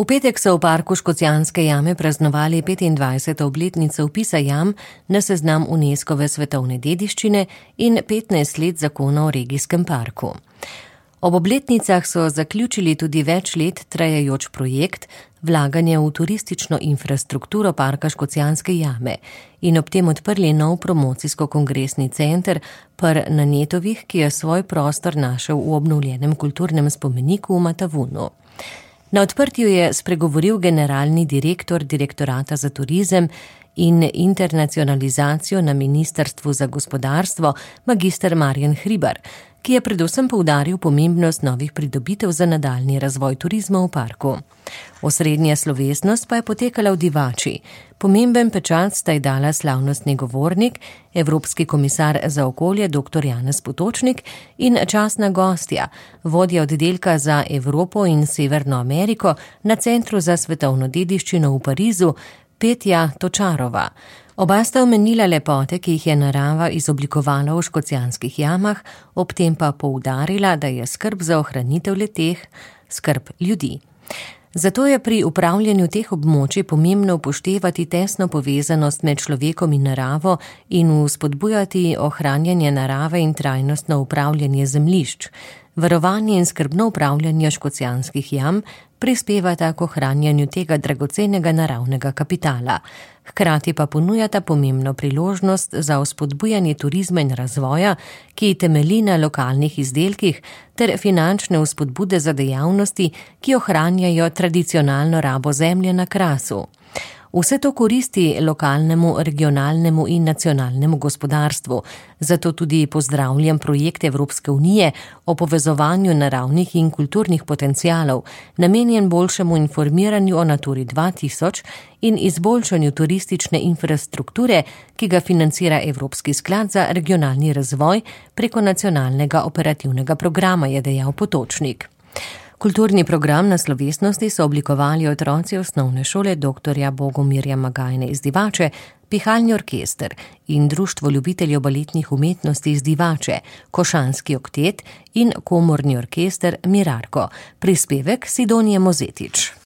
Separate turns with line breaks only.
V petek so v parku Škocjanske jame praznovali 25. obletnico vpisa jam na seznam Unescove svetovne dediščine in 15 let zakona o regijskem parku. Ob obletnicah so zaključili tudi več let trajajoč projekt vlaganja v turistično infrastrukturo parka Škocjanske jame in ob tem odprli nov promocijsko-kongresni center na Netovih, ki je svoj prostor našel v obnovljenem kulturnem spomeniku v Matavunu. Na odprtju je spregovoril generalni direktor Direktorata za turizem in internacionalizacijo na Ministrstvu za gospodarstvo, magister Marjan Hribar, ki je predvsem poudaril pomembnost novih pridobitev za nadaljnji razvoj turizma v parku. Osrednja slovesnost pa je potekala v Divači. Pomemben pečat sta ji dala slavnostni govornik, evropski komisar za okolje dr. Janez Potočnik in častna gostja, vodja oddelka za Evropo in Severno Ameriko na Centru za svetovno dediščino v Parizu, Petja Točarova. Oba sta omenila lepote, ki jih je narava izoblikovala v Škocjanskih jamah, ob tem pa poudarila, da je skrb za ohranitev le-teh skrb ljudi. Zato je pri upravljanju teh območij pomembno upoštevati tesno povezanost med človekom in naravo in vzpodbujati ohranjanje narave in trajnostno upravljanje zemljišč. Varovanje in skrbno upravljanje Škocjanskih jam prispevata k ohranjanju tega dragocenega naravnega kapitala. Hkrati pa ponujata pomembno priložnost za vzpodbujanje turizma in razvoja, ki temelji na lokalnih izdelkih, ter finančne vzpodbude za dejavnosti, ki ohranjajo tradicionalno rabo zemlje na Krasu. Vse to koristi lokalnemu, regionalnemu in nacionalnemu gospodarstvu, zato tudi pozdravljam projekt Evropske unije o povezovanju naravnih in kulturnih potencialov, namenjen boljšemu informiranju o Naturi 2000 in izboljšanju turistične infrastrukture, ki ga financira Evropski sklad za regionalni razvoj preko nacionalnega operativnega programa, je dejal Potočnik. Kulturni program na slovesnosti so oblikovali otroci osnovne šole dr. Bogomirja Magajne iz Divače, pihalni orkester in Društvo ljubiteljev baletnih umetnosti iz Divače, košanski oktet in komorni orkester Mirarko. Prispevek Sidonije Mozetič.